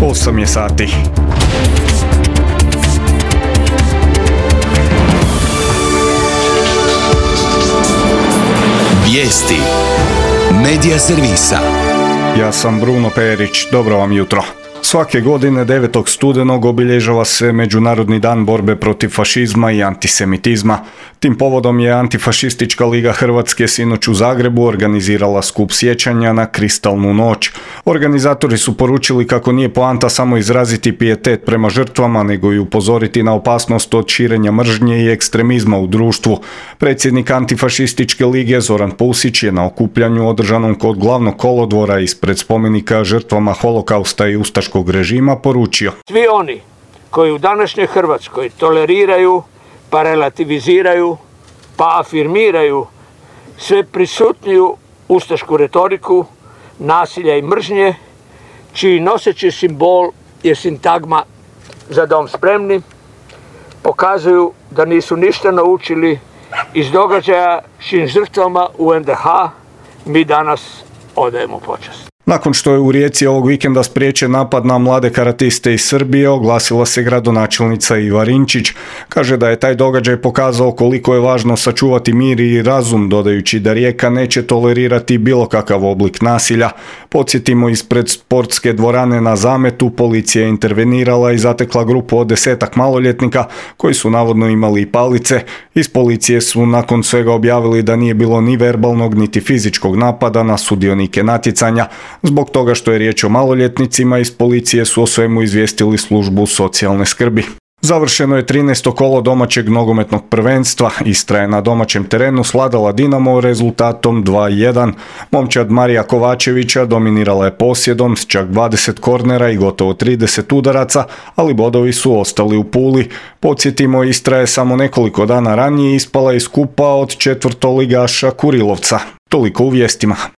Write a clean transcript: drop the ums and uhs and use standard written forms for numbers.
8 je sati. Vijesti Medija servisa. Ja sam Bruno Perić, dobro vam jutro. Svake godine 9. studenog obilježava se Međunarodni dan borbe protiv fašizma i antisemitizma. Tim povodom je Antifašistička liga Hrvatske sinoć u Zagrebu organizirala skup sjećanja na Kristalnu noć. Organizatori su poručili kako nije poanta samo izraziti pijetet prema žrtvama, nego i upozoriti na opasnost od širenja mržnje i ekstremizma u društvu. Predsjednik Antifašističke lige Zoran Pusić je na okupljanju održanom kod glavnog kolodvora ispred spomenika žrtvama holokausta i ustaškog režima poručio: Svi oni koji u današnjoj Hrvatskoj toleriraju, pa relativiziraju, pa afirmiraju sve prisutniju ustašku retoriku, nasilja i mržnje, čiji noseći simbol je sintagma "Za dom spremni", pokazuju da nisu ništa naučili iz događaja čijim žrtvama u NDH mi danas odajemo počast. Nakon što je u Rijeci ovog vikenda spriječen napad na mlade karatiste iz Srbije, oglasila se gradonačelnica Iva Rinčić. Kaže da je taj događaj pokazao koliko je važno sačuvati mir i razum, dodajući da Rijeka neće tolerirati bilo kakav oblik nasilja. Podsjetimo, ispred sportske dvorane na Zametu policija je intervenirala i zatekla grupu od 10-ak maloljetnika koji su navodno imali palice. Iz policije su nakon svega objavili da nije bilo ni verbalnog niti fizičkog napada na sudionike natjecanja. Zbog toga što je riječ o maloljetnicima, iz policije su o svemu izvijestili službu socijalne skrbi. Završeno je 13. kolo domaćeg nogometnog prvenstva. Istra je na domaćem terenu svladala Dinamo rezultatom 2:1. Momčad Marija Kovačevića dominirala je posjedom s čak 20 kornera i gotovo 30 udaraca, ali bodovi su ostali u Puli. Podsjetimo, Istra je samo nekoliko dana ranije ispala iz kupa od četvrtoligaša Kurilovca. Toliko u vijestima.